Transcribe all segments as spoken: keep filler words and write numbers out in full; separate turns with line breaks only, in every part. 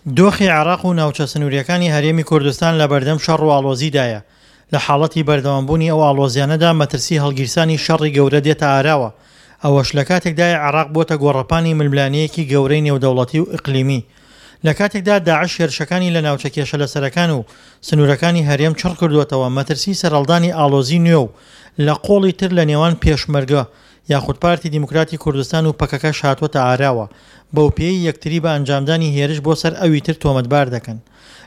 دۆخی عێراق و ناوچە سنوورییەکانی هەرێمی کوردستان لەبەردەم شەڕ و ئاڵۆزیدایە، لە حاڵەتی بەردەوامبوونی ئەو ئاڵۆزیانەدا مەترسی هەڵگیرسانی شەڕی گەورە دێتە ئاراوە، ئەوەش لەکاتێکدایە عێراق بووەتە گۆڕەپانی ململانێیەکی گەورەی نێودەوڵەتی و ئیقلیمی. لەکاتێکدا داعش هێرشەکانی لە ناوچە کێشەلەسەرەکان و سنوورەکانی هەرێم چڕکردووەتەوە مەترسی سەرهەڵدانی ئاڵۆزی نوێ و لە قۆڵی تر لە نێوان پێشمەرگە یاخود پارتی دیموکراتی کوردستان و پەکەکەش هاتووەتە ئاراوە بەوپێیەی یەکتری بە ئەنجامدانی هێرش بۆ سەر ئەوی تر تۆمەتبار دەکەن.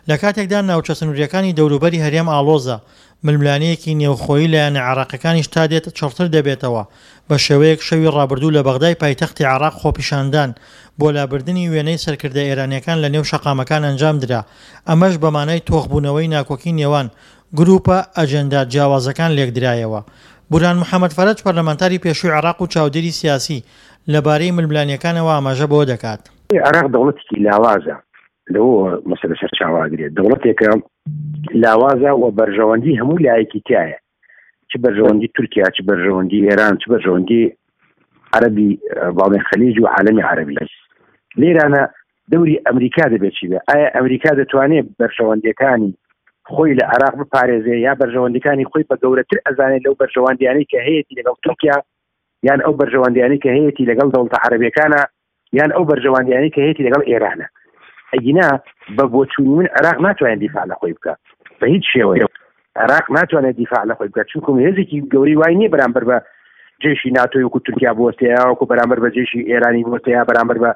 لەکاتێکدا ناوچە سنوورییەکانی دەوروبەری هەرێم ئاڵۆزە، ململانێیەکی نێوخۆیی لایەنە عێراقیەکانیش تا دێت چڕتر دەبێتەوە، بە شێوەیەک شەوی ڕابردوو لە بەغدای پایتەختی عێراق خۆپیشاندان بۆ لابردنی وێنەی سەرکردە ئێرانیەکان لە نێو شەقامەکان ئەنجامدرا، ئەمەش بە مانای تۆخبوونەوەی ناکۆکی نێوان گروپە ئەجێندا جیاوازەکان لێکدرایەوە. بورهان محەمەد فەرەج پەرلەمانتاری پێشووی عێراق و چاودێری سیاسی لەبارەی ململانێکانەوە ئاماژە بەوە دەکات.
عێراق دەوڵەتێکی لاوازە، لەوەوە مەسەلە سەرچاوە ئەگرێت، دەوڵەتێکە لاوازە و بەرژەوەندی هەموو لایەکی تایە، چ بەرژەوەندی تورکیا، چ بەرژەوەندی ئێران، چ بەرژەوەندی عەرەبی باڵێن خەلیج و عالەمی عەرەبی. لێرانە دەوری ئەمریکا دەبێت چی بێ؟ ئایا ئەمریکا دەتوانێت بەرژەوەندیەکانی خۆی لە عێراق بپارێزێ یا بەرژەوەندیەکانی خۆی بە گەورەتر ئەزانێت لەو بەرژەوەندیانەی کە هەیەی لەگەڵ تورکیا، یان ئەو بەرژەوەندیانەی کە هەیەی لەگەڵ دەوڵەتە عەرەبیەکانە، یان ئەو بەرژەوەندیانەی کە هەیەی لەگەڵ ئێرانە؟ ئەگینا بە بۆچوونی من عێراق ناتوانێت دیفاع لە خۆی بکە بە هیچ شێوەیەک. عێراق ناتوانێت دیفاع لە خۆی بکات چونکە هێزێکی گەورەی وای نییە بەرامبەر بە جێشی ناتۆی وەکو تورکیا بوەستێ، یا وەکو بەرامبەر بە جێشی ئێرانی بوەستێ، یا بەرامبەر بە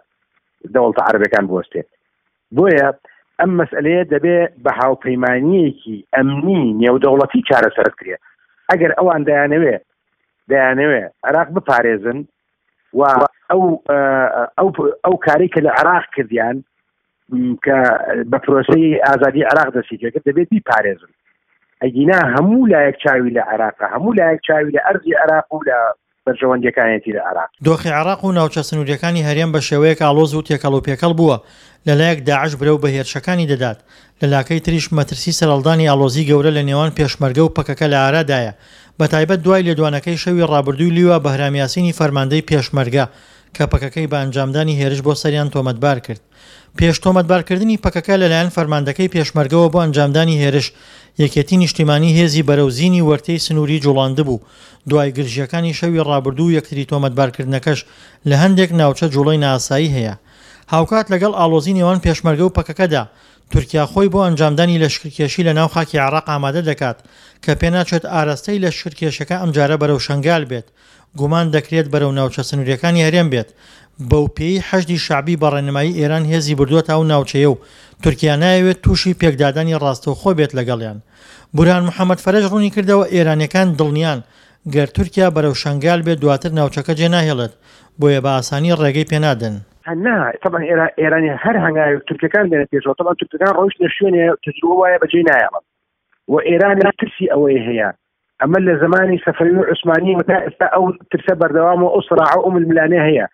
دەوڵەتە عەرەبەکان بوەستێ. بۆیە ئەم مەسئلەیە دەبێ بە هاوپەیمانیەکی ئەمنی نێودەوڵەتی چارەسەر بکرێت. ئەگەر ئەوان دەیانەوێ دەیانەوێ عێراق بپارێزن و ئەو، ئەو، ئەو کارەی کە لە عێراق کردیان کە بە پرۆسەی ئازادی عێراق دەستی پێکرد دەبێت بیپارێزن. ئەگینا هەموو لایەک چاوی لە عێراقە، هەموو لایەک چاوی لە ئەرزی عێراق و لە بەرژەوەندیەکانیەتی لە عێراق.
دۆخی عێراق و ناوچە سنووریەکانی هەرێم بە شێوەیەک ئاڵۆز و تێکەڵ و پێکەڵ بووە، لەلایەک داعش برەو بە هێرشەکانی دەدات، لە لاکەی تریش مەترسی سەرهەڵدانی ئاڵۆزی گەورە لە نێوان پێشمەرگە و پەکەکە لە ئارادایە، بە تایبەت دوای لێدوانەکەی شەوی ڕابردووی لیوا بەهرام یاسینی فەرماندەی پێشمەرگە کە پەکەکەی بە ئەنجامدانی هێرش بۆ سەریان تۆمەتبار کرد. پێش تۆمەتبارکردنی پەکەکە لەلایەن فەرماندەکەی پێشمەرگەوە بۆ ئەنجامدانی هێرش، یەکێتی نیشتیمانی هێزی بەرەو زینی وەرتەی سنووری جوڵاندبوو. دوای گرژیەکانی شەوی ڕابردوو و یەکتری تۆمەتبارکردنەکەش لە هەندێک ناوچە جوڵەی نائاسایی هەیە. هاوکات لەگەڵ ئاڵۆزی نێوان پێشمەرگە و پەکەکەدا، تورکیا خۆی بۆ ئەنجامدانی لەشکرکێشی لە ناو خاکی عێراق ئامادە دەکات کە پێناچێت ئاراستەی لەشکرکێشەکە ئەمجارە بەرەو شەنگال بێت، گومان دەکرێت بەرەو ناوچە سنووریەکانی هەرێم بێت، بەو پێی حەشدی شەعبی بە ڕێنمایی ئێران هێزی بردووەتە ئەو ناوچەیە و تورکیا نایەوێت تووشی پێکدادانی ڕاستەوخۆ بێت لەگەڵیان. بورهان محەمەد فەرەج ڕوونی کردەوە ئێرانیەکان دڵنیان گەر تورکیا بەرەو شەنگال بێت دواتر ناوچەکە جێناهێڵێت، بۆیە بە ئاسانی ڕێگەی پێنادەن.
نا، طبعا ئێرانی هەر هەنگاوێک تورکەکان بێنە پێشەوە، طبعا تورکەکان ڕۆیشتنە شوێنێ تەجروبە وایە بەجێ نایەڵن و ئێران ترسی ئەوەی هەیە. ئەمە لە زمانی سەفەوی و عوسمانی و تا ئێستا ئەو ترسە بەردەوام و ئەو سراع و ئەو ململانێ هەیە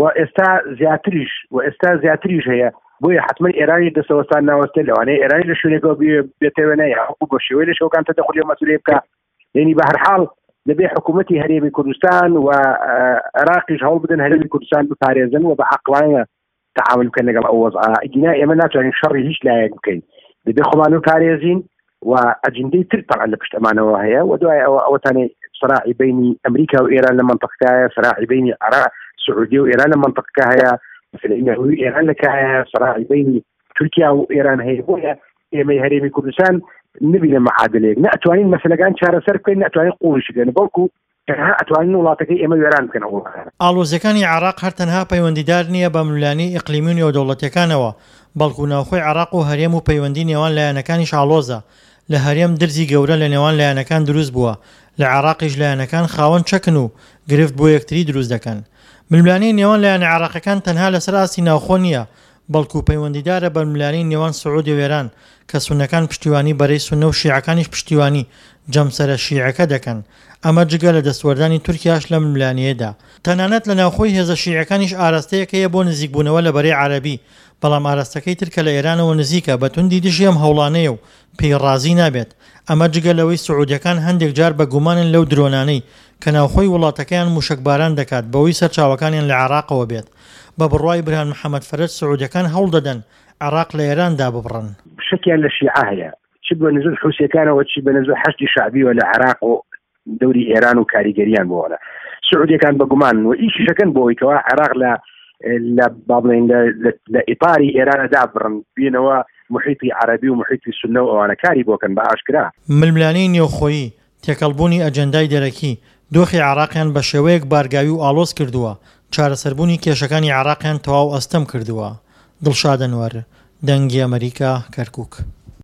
و ئێستا زیاتریش و ئێستا زیاتریش هەیە. بۆیە حتمما ئێرانی دەسەوەستان ناوەستێت، لەوانەیە ئێرانی لە شوێنێکەوە بێتەوە نەیە وەکو بە شێوەی لە شەوەکان تەدەخولی ئەو مەسئولەیە بکا. یعنی بە هەر حاڵ دەبێ حکوومەتی هەرێمی کوردستان و عێراقیش هەوڵ بدەن هەرێمی کوردستان بپارێزن و بە عەقڵانە تەعامل بکەن لەگەڵ ئەو وەزعە. ئەگینا ئێمە ناتوانین شەڕی هیچ لایەک بکەین، دەبێ خۆمان بپارێزین و ئەجندەی تر طبعا لە پشت ئەمانەوە هەیە. و دوای ئەوە ئەوەتانەی سراعی بینی ئەمریکا و ئێران لە منطقەکایە، سراعی بینی عراق سعودیە و ئێران لە منطقەکە هەیە، مەسەلەی نەوەی ئێران لە کایە، سراعی بینی تورکیا و ئێران هەیە. بۆیە ئێمەی هەرێمی کوردستان نبینە معادلەیەک، نەتوانین مەسەلەکان چارەسەر بکەین، نەتوانین قوڵیش بکەین، بەڵکو تەنها ئەتوانین وڵاتەکەی ئێمە وێران بکەن.
ئاڵۆزیەکانی عێراق هەر تەنها پەیوەندیدار نییە بە ململانێی ئیقلیمی و نێودەوڵەتیەکانەوە، بەڵکو ناوخۆی عێراق و هەرێم و پەیوەندی نێوان لایەنەکانیش ئاڵۆزە. لە هەرێم درزی گەورە لە نێوان لایەنەکان دروست بووە، لە عێراقیش لایەنەکان خاوەن چەکن و گرفت بۆ یەکتری دروست دەکەن. ململانێی نێوان لایەنە عێراقیەکان تەنها لەسەر ئاستی ناوخۆ نییە، بەڵکو پەیوەندیدارە بە ململانێی نێوان سعودیە و ئێران کە سوننەکان پشتیوانی بەرەی سوننە و شیعەکانیش پشتیوانی جەمسەرە شیعەکە دەکەن، ئەمە جگە لە دەستوەردانی تورکیاش لە ململانێیەدا. تەنانەت لە ناوخۆی هێزە شیعەکانیش ئاراستەیەک هەیە بۆ نزیکبوونەوە لە بەرەی عەرەبی، بەڵام ئاراستەکەی تر کە لە ئێرانەوە نزیکە بە توندی دژی ئەم هەوڵانەیە و پێی ڕازی نابێت. ئەمە جگە لەوەی سعودیەکان هەندێک جار بە گومانن لەو درۆنانەی کە ناوخۆی وڵاتەکەیان موشەکباران دەکات بەوەی سەرچاوەکانیان لە عێراقەوە بێت. بە بڕوای برهان محەمەد فەرەج سعودیەکان هەوڵ دەدەن عێراق لە ئێران داببڕن.
شکیان لە شیعە هەیە، چ بە نزول حوسیەکانەوە چ بە نزول حەشدی شەعبیەوە لە عێراق و دەوری ئێران و کاریگەریان بۆ سعودیەکان بەگومان و ئیشیشەکەن بۆ ئەوەی کەوا عێراق لە لە با بڵێین لە ئیتاری ئێرانە دابڕن، بینەوە محیطی عەرەبی و محیطی سوننە و ئەوانە کاری بۆکەن بە ئاشکرا.
ململانێی نێوخۆیی، تێکەڵبوونی ئەجێندای دەرەکی، دۆخی عێراقیان بە شێوەیەک بارگاوی و ئاڵۆز کردووە، چارەسەربوونی کێشەکانی عێراقیان تەواو ئەستەم کردووە. دڵشاد ئەنوەر، دەنگی ئەمەریکا، کەرکوک.